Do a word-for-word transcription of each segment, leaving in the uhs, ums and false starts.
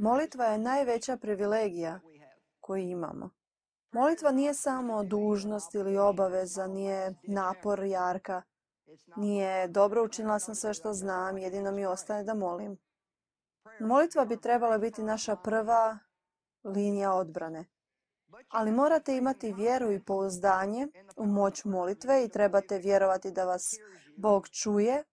Molitva je najveća privilegija koju imamo. Molitva nije samo dužnost ili obaveza, nije napor jarka, nije dobro učinila sam sve što znam, jedino mi ostaje da molim. Molitva bi trebala biti naša prva linija odbrane. Ali morate imati vjeru i pouzdanje u moć molitve i trebate vjerovati da vas Bog čuje.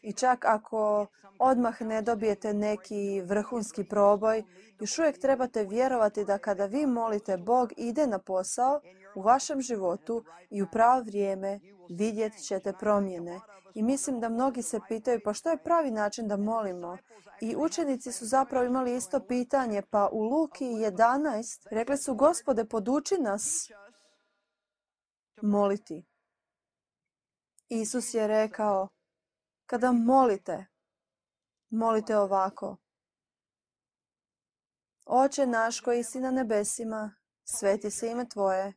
I čak ako odmah ne dobijete neki vrhunski proboj, još uvijek trebate vjerovati da kada vi molite, Bog ide na posao u vašem životu i u pravo vrijeme vidjet ćete promjene. I mislim da mnogi se pitaju pa što je pravi način da molimo? I učenici su zapravo imali isto pitanje, pa u Luki jedanaest rekli su Gospode, poduči nas moliti. Isus je rekao, kada molite, molite ovako. Oče naš koji si na nebesima, sveti se ime Tvoje.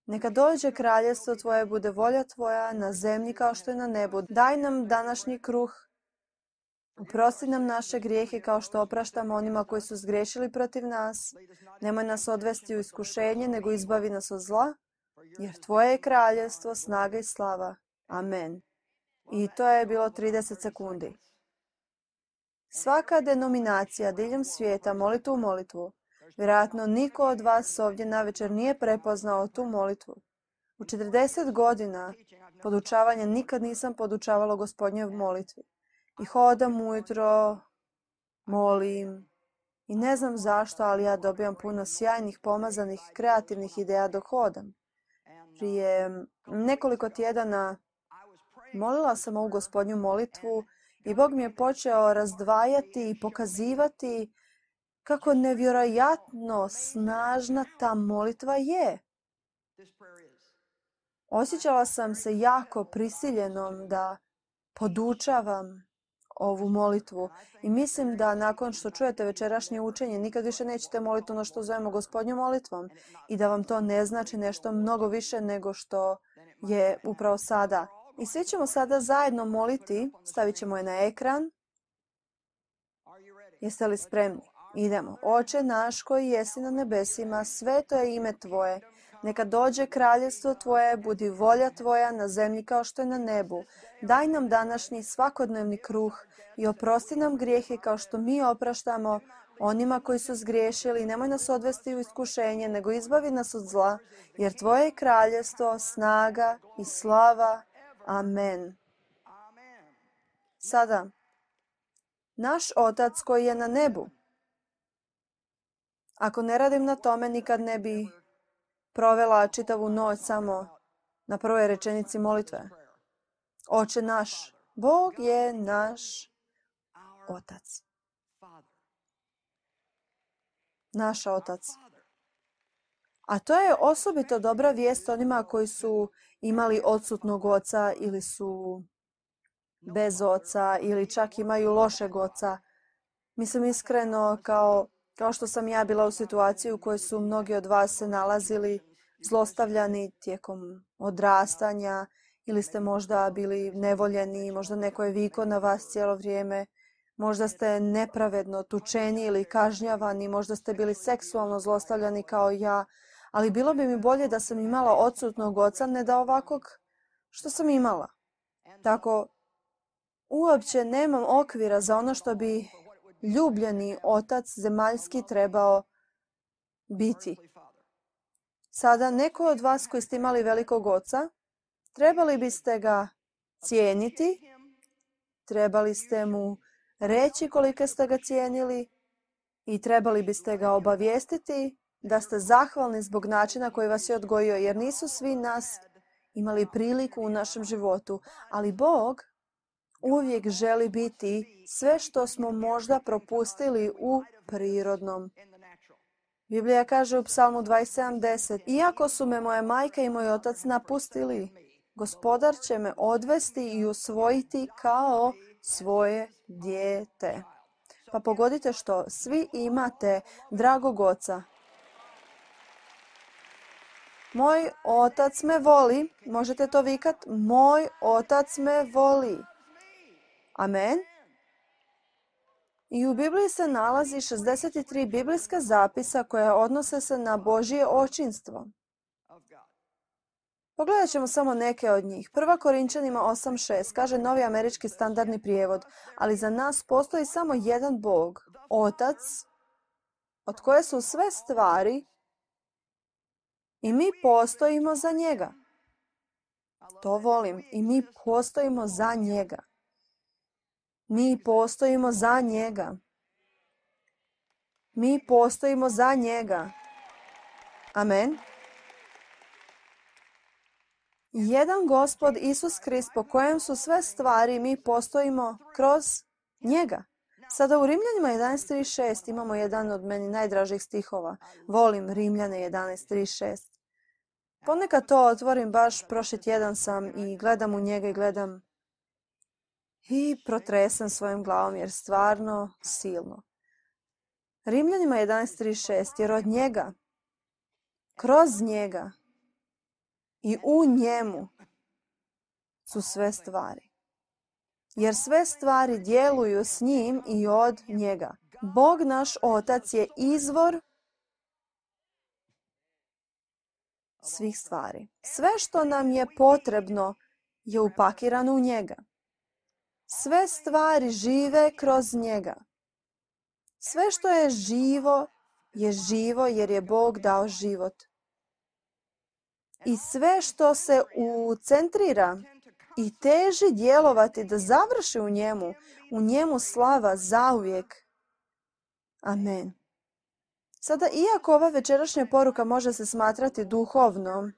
Neka dođe kraljestvo Tvoje, bude volja Tvoja na zemlji kao što je na nebu. Daj nam današnji kruh. Oprosti nam naše grijehe kao što opraštamo onima koji su zgriješili protiv nas. Nemoj nas odvesti u iskušenje, nego izbavi nas od zla. Jer Tvoje je kraljestvo, snaga i slava. Amen. I to je bilo trideset sekundi. Svaka denominacija diljem svijeta moli tu molitvu. Vjerojatno niko od vas ovdje navečer nije prepoznao tu molitvu. U četrdeset godina podučavanja nikad nisam podučavala Gospodnjoj molitvi. I hodam ujutro, molim. I ne znam zašto, ali ja dobijam puno sjajnih, pomazanih, kreativnih ideja dok hodam. Prije nekoliko tjedana molila sam ovu Gospodnju molitvu i Bog mi je počeo razdvajati i pokazivati kako nevjerojatno snažna ta molitva je. Osjećala sam se jako prisiljenom da podučavam ovu molitvu i mislim da nakon što čujete večerašnje učenje nikad više nećete moliti ono što zovemo Gospodnjom molitvom i da vam to ne znači nešto mnogo više nego što je upravo sada. I svi ćemo sada zajedno moliti, stavit ćemo je na ekran. Jeste li spremni? Idemo. Oče naš koji jesi na nebesima, sveto je ime Tvoje. Neka dođe kraljestvo Tvoje, budi volja Tvoja na zemlji kao što je na nebu. Daj nam današnji svakodnevni kruh i oprosti nam grijehe kao što mi opraštamo onima koji su zgriješili. Nemoj nas odvesti u iskušenje, nego izbavi nas od zla, jer Tvoje je kraljestvo, snaga i slava. Amen. Sada, naš Otac koji je na nebu. Ako ne radim na tome, nikad ne bi provela čitavu noć samo na prvoj rečenici molitve. Oče naš, Bog je naš Otac. Naš Otac. A to je osobito dobra vijest onima koji su imali odsutnog oca ili su bez oca ili čak imaju lošeg oca. Mislim iskreno kao, kao što sam ja bila u situaciji u kojoj su mnogi od vas se nalazili zlostavljani tijekom odrastanja ili ste možda bili nevoljeni, možda neko je vikao na vas cijelo vrijeme, možda ste nepravedno tučeni ili kažnjavani, možda ste bili seksualno zlostavljani kao ja, ali bilo bi mi bolje da sam imala odsutnog oca, ne da ovakvog što sam imala. Tako, uopće nemam okvira za ono što bi ljubljeni otac zemaljski trebao biti. Sada, neko od vas koji ste imali velikog oca, trebali biste ga cijeniti, trebali ste mu reći koliko ste ga cijenili i trebali biste ga obavijestiti da ste zahvalni zbog načina koji vas je odgojio, jer nisu svi nas imali priliku u našem životu, ali Bog uvijek želi biti sve što smo možda propustili u prirodnom. Biblija kaže u Psalmu dvadeset sedam deset, iako su me moja majka i moj otac napustili, Gospodar će me odvesti i usvojiti kao svoje dijete. Pa pogodite što, svi imate dragog oca. Moj otac me voli, možete to vikat, moj otac me voli. Amen. I u Bibliji se nalazi šezdeset tri biblijska zapisa koja odnose se na Božje očinstvo. Pogledat ćemo samo neke od njih. Prva Korinčanima osam šest kaže Novi američki standardni prijevod, ali za nas postoji samo jedan Bog, Otac, od koje su sve stvari i mi postojimo za njega. To volim. I mi postojimo za njega. Mi postojimo za njega. Mi postojimo za njega. Amen. Jedan Gospod Isus Krist po kojem su sve stvari, mi postojimo kroz njega. Sada u Rimljanima jedanaest trideset šest imamo jedan od meni najdražih stihova. Volim Rimljane jedanaest trideset šest. Ponekad to otvorim, baš prošli tjedan sam i gledam u njega i gledam i protresem svojom glavom jer stvarno silno. Rimljanima jedanaest trideset šest, jer od njega, kroz njega i u njemu su sve stvari. Jer sve stvari djeluju s njim i od njega. Bog naš Otac je izvor svih stvari. Sve što nam je potrebno je upakirano u njega. Sve stvari žive kroz njega. Sve što je živo je živo jer je Bog dao život. I sve što se ucentrira i teži djelovati da završi u njemu, u njemu slava zauvijek. Amen. Sada, iako ova večerašnja poruka može se smatrati duhovnom,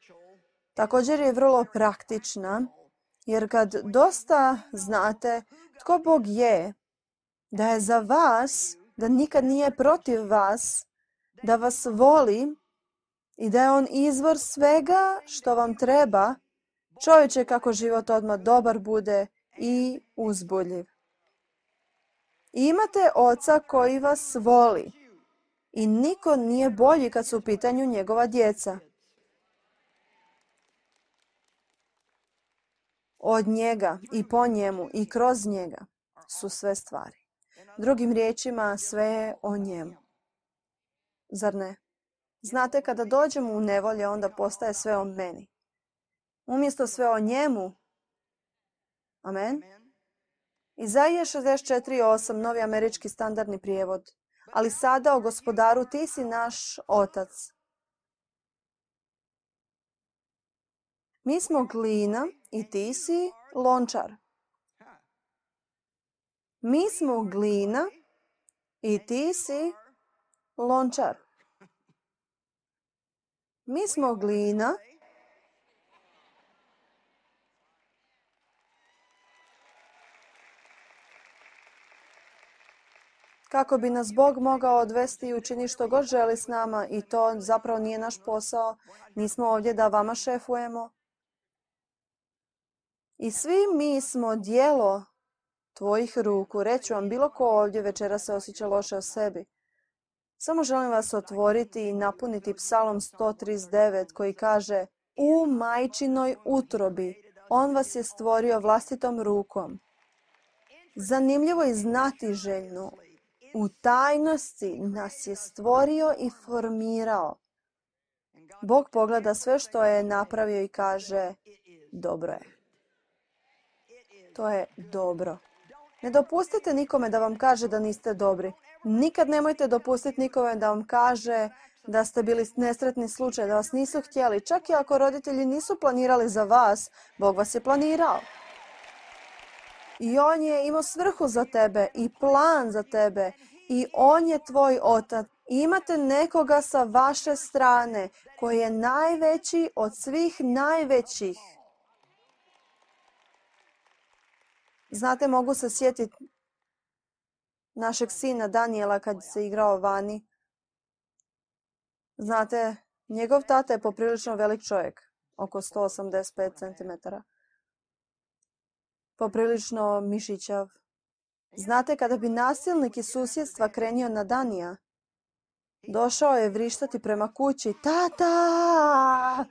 također je vrlo praktična, jer kad dosta znate tko Bog je, da je za vas, da nikad nije protiv vas, da vas voli i da je on izvor svega što vam treba, čovječe kako život odmah dobar bude i uzbudljiv. Imate Oca koji vas voli i niko nije bolji kad su u pitanju njegova djeca. Od njega i po njemu i kroz njega su sve stvari. Drugim riječima, sve je o njemu. Zar ne? Znate, kada dođemo u nevolje, onda postaje sve o meni. Umjesto sve o njemu. Amen. Izaija šezdeset četiri osam, Novi američki standardni prijevod. Ali sada o Gospodaru, ti si naš Otac. Mi smo glina i ti si lončar. Mi smo glina i ti si lončar. Mi smo glina kako bi nas Bog mogao odvesti i učiniti što god želi s nama i to zapravo nije naš posao. Nismo ovdje da vama šefujemo. I svi mi smo djelo tvojih ruku. Reću vam, bilo ko ovdje večera se osjeća loše o sebi. Samo želim vas otvoriti i napuniti Psalom sto trideset devet koji kaže: u majčinoj utrobi on vas je stvorio vlastitom rukom. Zanimljivo i znatiželjno. U tajnosti nas je stvorio i formirao. Bog pogleda sve što je napravio i kaže: dobro je. To je dobro. Ne dopustite nikome da vam kaže da niste dobri. Nikad nemojte dopustiti nikome da vam kaže da ste bili nesretni slučaj, da vas nisu htjeli. Čak i ako roditelji nisu planirali za vas, Bog vas je planirao. I on je imao svrhu za tebe i plan za tebe. I on je tvoj Otac. Imate nekoga sa vaše strane koji je najveći od svih najvećih. Znate, mogu se sjetiti našeg sina Daniela kad se igrao vani. Znate, njegov tata je poprilično velik čovjek, oko sto osamdeset pet centimetara. Poprilično mišićav. Znate, kada bi nasilnik iz susjedstva krenio na Danija, došao je vrištati prema kući: tata!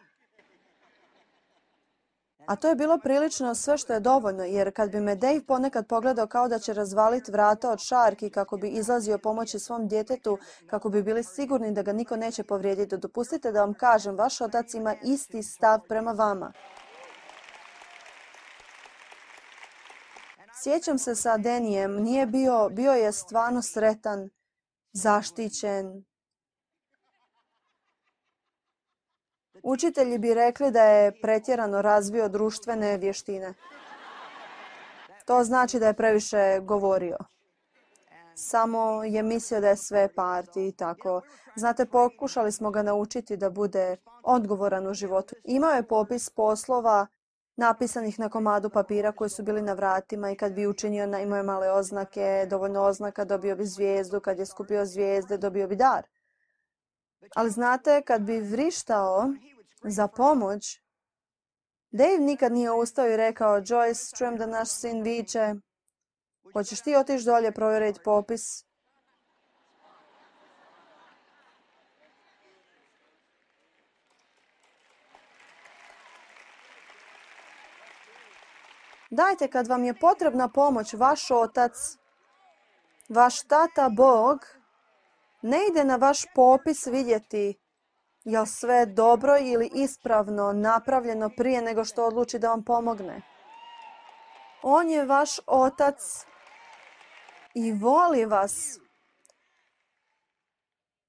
A to je bilo prilično sve što je dovoljno, jer kad bi me Dave ponekad pogledao kao da će razvaliti vrata od šarki kako bi izlazio pomoći svom djetetu, kako bi bili sigurni da ga niko neće povrijediti, dopustite da vam kažem, vaš otac ima isti stav prema vama. Sjećam se sa Denijem, nije bio, bio je stvarno sretan, zaštićen. Učitelji bi rekli da je pretjerano razvio društvene vještine. To znači da je previše govorio. Samo je mislio da je sve parti i tako. Znate, pokušali smo ga naučiti da bude odgovoran u životu. Imao je popis poslova napisanih na komadu papira koji su bili na vratima i kad bi učinio, imao je male oznake, dovoljno oznaka, dobio bi zvijezdu, kad je skupio zvijezde, dobio bi dar. Ali znate, kad bi vrištao za pomoć, Dave nikad nije ustao i rekao, Joyce, čujem da naš sin viče, hoćeš ti otići dolje provjeriti popis? Dajte, kad vam je potrebna pomoć, vaš otac, vaš tata Bog, ne ide na vaš popis vidjeti je li sve dobro ili ispravno napravljeno prije nego što odluči da vam pomogne. On je vaš otac i voli vas.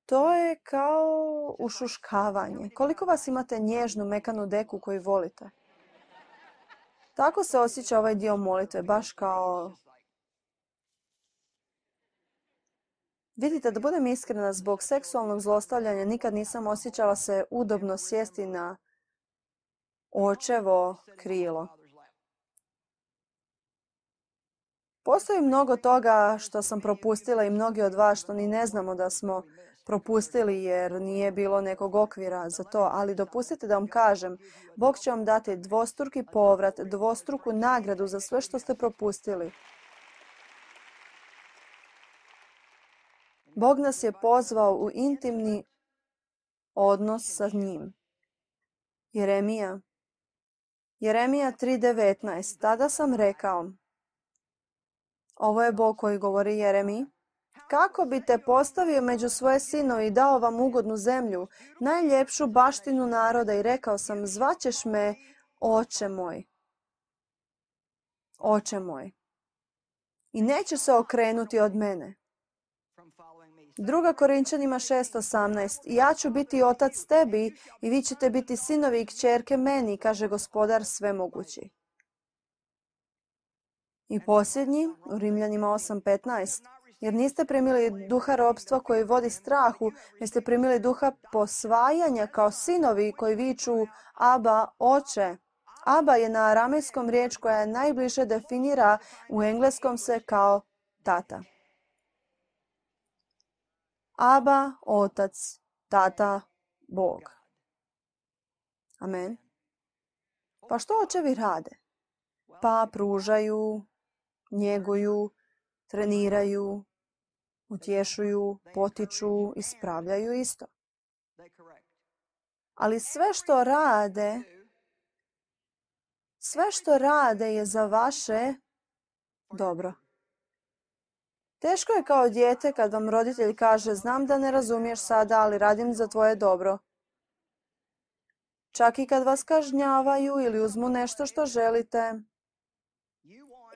To je kao ušuškavanje. Koliko vas imate nježnu, mekanu deku koju volite? Tako se osjeća ovaj dio molitve, baš kao... Vidite, da budem iskrena, zbog seksualnog zlostavljanja nikad nisam osjećala se udobno sjesti na očevo krilo. Postoji mnogo toga što sam propustila i mnogi od vas što ni ne znamo da smo propustili jer nije bilo nekog okvira za to, ali dopustite da vam kažem, Bog će vam dati dvostruki povrat, dvostruku nagradu za sve što ste propustili. Bog nas je pozvao u intimni odnos sa njim. Jeremija. Jeremija tri devetnaest. Tada sam rekao, ovo je Bog koji govori Jeremiji, kako bi te postavio među svoje sinove i dao vam ugodnu zemlju, najljepšu baštinu naroda i rekao sam, zvaćeš me oče moj. Oče moj. I neće se okrenuti od mene. Druga Korinčanima šest osamnaest. I ja ću biti otac tebi i vi ćete biti sinovi i kćerke meni, kaže Gospodar svemogući. I posljednji, u Rimljanima osam petnaest. Jer niste primili duha ropstva koji vodi strahu, već ste primili duha posvajanja kao sinovi koji viču Aba, oče. Aba je na aramejskom riječ koja najbliže definira u engleskom se kao tata. Aba, otac, tata, Bog. Amen. Pa što očevi rade? Pa pružaju, njeguju, treniraju, utješuju, potiču, ispravljaju isto. Ali sve što rade, sve što rade je za vaše dobro. Teško je kao dijete kad vam roditelj kaže, znam da ne razumiješ sada, ali radim za tvoje dobro. Čak i kad vas kažnjavaju ili uzmu nešto što želite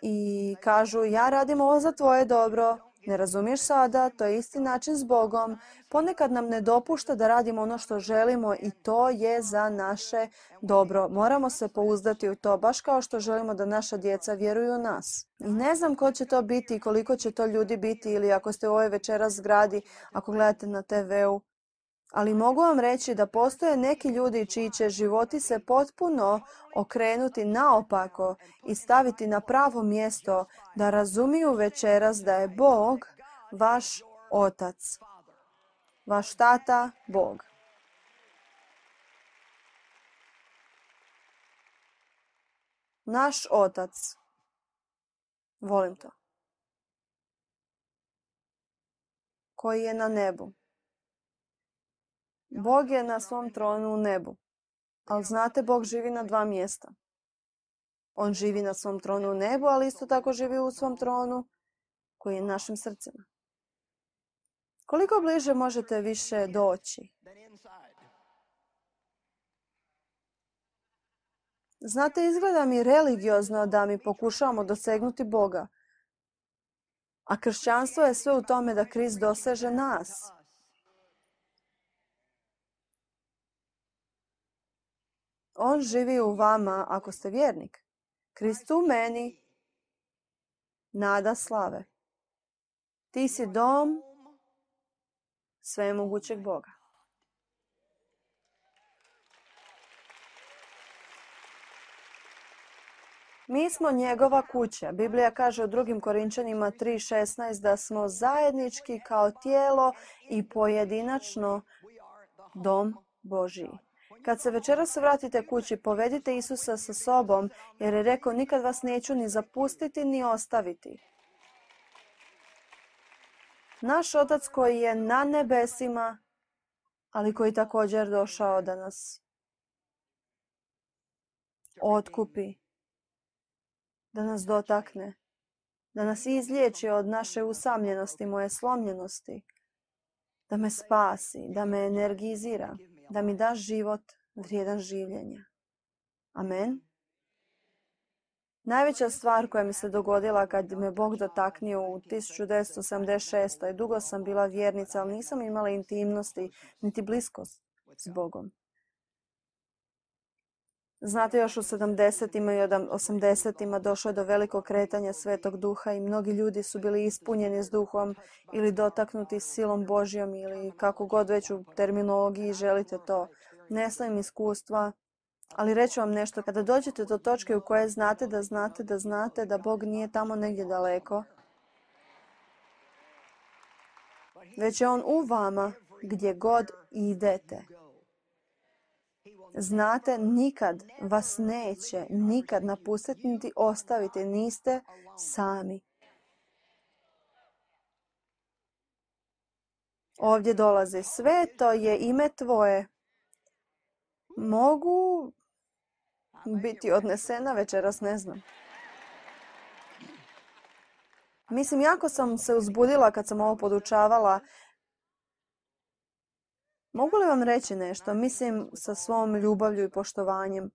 i kažu, ja radim ovo za tvoje dobro, ne razumiješ sada, to je isti način s Bogom. Ponekad nam ne dopušta da radimo ono što želimo i to je za naše dobro. Moramo se pouzdati u to, baš kao što želimo da naša djeca vjeruju u nas. I ne znam ko će to biti i koliko će to ljudi biti ili ako ste u ovoj večeras zgradi, ako gledate na te veu. Ali mogu vam reći da postoje neki ljudi čiji će životi se potpuno okrenuti naopako i staviti na pravo mjesto da razumiju večeras da je Bog vaš otac, vaš tata Bog. Naš otac. Volim to. Koji je na nebu. Bog je na svom tronu u nebu. Ali znate, Bog živi na dva mjesta. On živi na svom tronu u nebu, ali isto tako živi u svom tronu koji je u našim srcima. Koliko bliže možete više doći? Znate, izgleda mi religiozno da mi pokušavamo dosegnuti Boga. A kršćanstvo je sve u tome da Krist doseže nas. On živi u vama ako ste vjernik. Krist u meni, nada slave. Ti si dom svemogućeg Boga. Mi smo njegova kuća. Biblija kaže u drugim Korinčanima tri šesnaest da smo zajednički kao tijelo i pojedinačno dom Božji. Kad se večeras vratite kući, povedite Isusa sa sobom, jer je rekao nikad vas neću ni zapustiti ni ostaviti. Naš Otac koji je na nebesima, ali koji također došao da nas otkupi, da nas dotakne, da nas izliječi od naše usamljenosti, moje slomljenosti, da me spasi, da me energizira, da mi da život vrijedan življenja. Amen. Najveća stvar koja mi se dogodila kad me Bog dotaknio u tisuću devetsto sedamdeset šestoj. Dugo sam bila vjernica, ali nisam imala intimnosti, niti bliskost s Bogom. Znate, još u sedamdesetima i osamdesetima došlo je do velikog kretanja Svetog Duha i mnogi ljudi su bili ispunjeni s Duhom ili dotaknuti silom Božjom ili kako god već u terminologiji želite to. Ne znam iskustva, ali reću vam nešto. Kada dođete do točke u kojoj znate da znate da znate da Bog nije tamo negdje daleko, već je On u vama gdje god idete. Znate, nikad vas neće, nikad napustiti niti ostaviti, niste sami. Ovdje dolazi sveto je ime tvoje. Mogu biti odnesena večeras, ne znam. Mislim, jako sam se uzbudila kad sam ovo podučavala. Mogu li vam reći nešto? Mislim, sa svom ljubavlju i poštovanjem.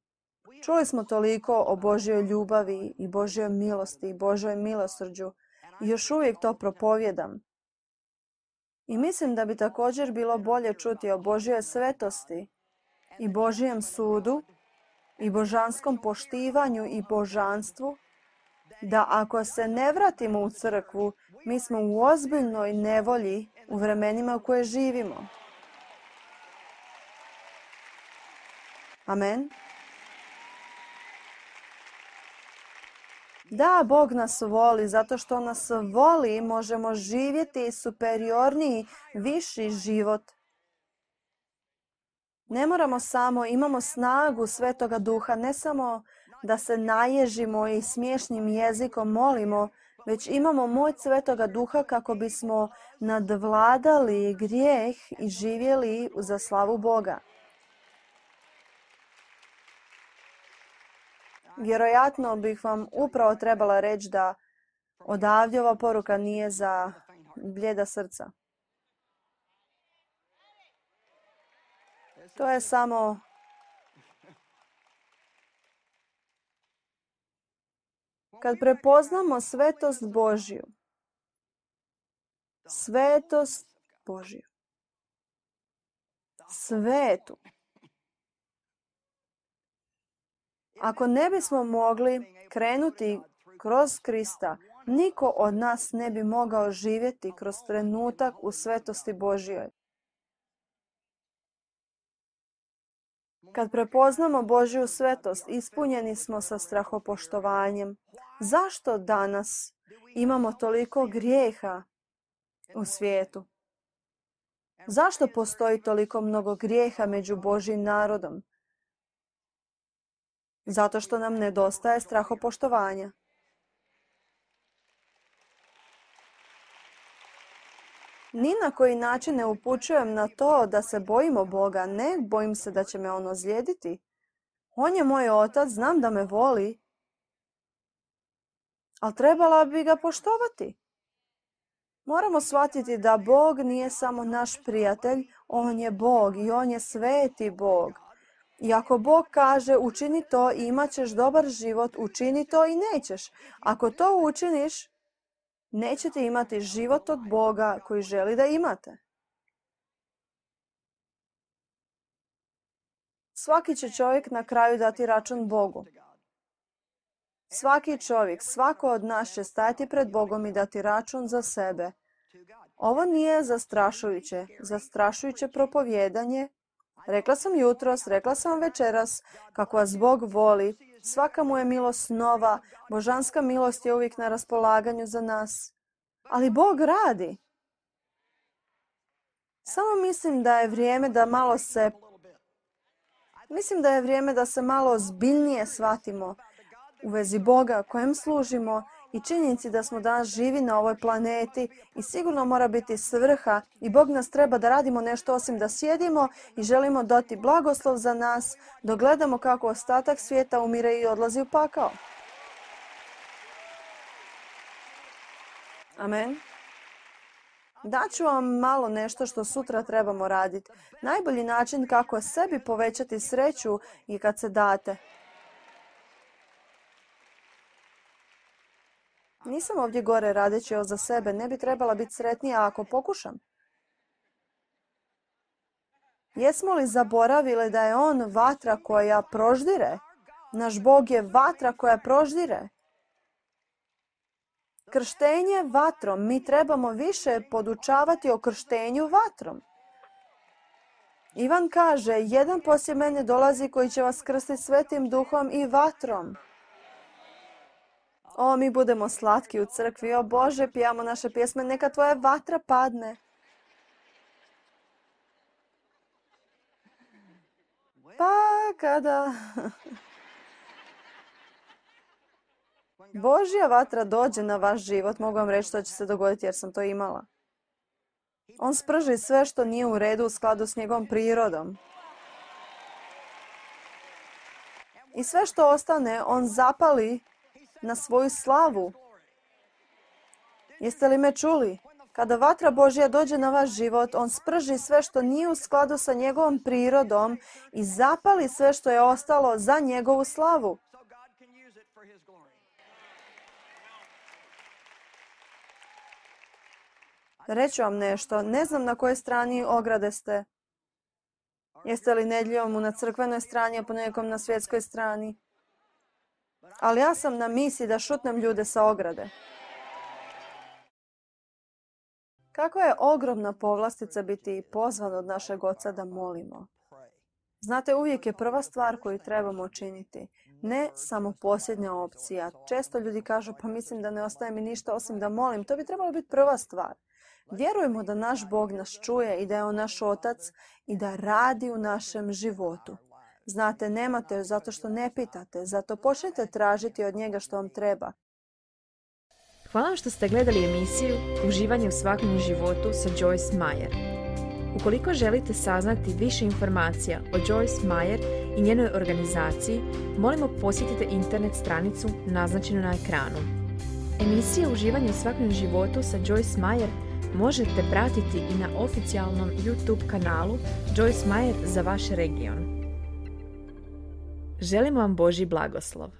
Čuli smo toliko o Božjoj ljubavi i Božjoj milosti i Božjoj milosrđu i još uvijek to propovjedam. I mislim da bi također bilo bolje čuti o Božjoj svetosti i Božjem sudu i božanskom poštivanju i božanstvu, da ako se ne vratimo u crkvu, mi smo u ozbiljnoj nevolji u vremenima u koje živimo. Amen. Da, Bog nas voli, zato što nas voli možemo živjeti superiorniji, viši život. Ne moramo samo, imamo snagu Svetoga Duha, ne samo da se naježimo i smiješnim jezikom molimo, već imamo moć Svetoga Duha kako bismo nadvladali grijeh i živjeli za slavu Boga. Vjerojatno bih vam upravo trebala reći da odavdje ova poruka nije za blijeda srca. To je samo kad prepoznamo svetost Božju. Svetost Božju. Svetu. Ako ne bismo mogli krenuti kroz Krista, niko od nas ne bi mogao živjeti kroz trenutak u svetosti Božjoj. Kad prepoznamo Božju svetost, ispunjeni smo sa strahopoštovanjem. Zašto danas imamo toliko grijeha u svijetu? Zašto postoji toliko mnogo grijeha među Božjim narodom? Zato što nam nedostaje strahopoštovanja. Ni na koji način ne upućujem na to da se bojimo Boga. Ne, bojim se da će me On ozlijediti. On je moj otac, znam da me voli ali trebala bi ga poštovati. Moramo shvatiti da Bog nije samo naš prijatelj, On je Bog i On je sveti Bog. I ako Bog kaže učini to i imat ćeš dobar život, učini to i nećeš. Ako to učiniš, nećete imati život od Boga koji želi da imate. Svaki će čovjek na kraju dati račun Bogu. Svaki čovjek, svako od nas će stajati pred Bogom i dati račun za sebe. Ovo nije zastrašujuće, zastrašujuće propovijedanje. Rekla sam jutros, rekla sam večeras kako vas Bog voli. Svaka mu je milost nova, božanska milost je uvijek na raspolaganju za nas. Ali Bog radi. Samo mislim da je vrijeme da malo se... Mislim da je vrijeme da se malo ozbiljnije shvatimo u vezi Boga kojem služimo i činjenici da smo danas živi na ovoj planeti i sigurno mora biti svrha i Bog nas treba da radimo nešto osim da sjedimo i želimo dati blagoslov za nas, dok gledamo kako ostatak svijeta umire i odlazi u pakao. Amen. Daću vam malo nešto što sutra trebamo raditi. Najbolji način kako sebi povećati sreću je kad se date. Nisam ovdje gore radeći ovo za sebe. Ne bi trebala biti sretnija ako pokušam. Jesmo li zaboravili da je On vatra koja proždire? Naš Bog je vatra koja proždire. Krštenje vatrom. Mi trebamo više podučavati o krštenju vatrom. Ivan kaže, jedan poslije mene dolazi koji će vas krstiti svetim duhom i vatrom. O, mi budemo slatki u crkvi. O Bože, pijamo naše pjesme. Neka tvoja vatra padne. Pa kada Božja vatra dođe na vaš život, mogu vam reći što će se dogoditi jer sam to imala. On sprži sve što nije u redu u skladu s njegovom prirodom. I sve što ostane, on zapali na svoju slavu. Jeste li me čuli? Kada vatra Božja dođe na vaš život, on sprži sve što nije u skladu sa njegovom prirodom i zapali sve što je ostalo za njegovu slavu. Reću vam nešto, ne znam na kojoj strani ograde ste. Jeste li nedjeljom na crkvenoj strani, a ponekom na svjetskoj strani? Ali ja sam na misiji da šutnem ljude sa ograde. Kako je ogromna povlastica biti pozvan od našeg Oca da molimo. Znate, uvijek je prva stvar koju trebamo učiniti. Ne samo posljednja opcija. Često ljudi kažu, pa mislim da ne ostaje mi ništa osim da molim. To bi trebalo biti prva stvar. Vjerujemo da naš Bog nas čuje i da je On naš Otac i da radi u našem životu. Znate, nemate zato što ne pitate, zato počnite tražiti od njega što vam treba. Hvala vam što ste gledali emisiju Uživanje u svakodnevnom životu sa Joyce Meyer. Ukoliko želite saznati više informacija o Joyce Meyer i njenoj organizaciji, molimo posjetite internet stranicu naznačenu na ekranu. Emisije Uživanje u svakodnevnom životu sa Joyce Meyer možete pratiti i na oficijalnom YouTube kanalu Joyce Meyer za vaš region. Želimo vam Božji blagoslov.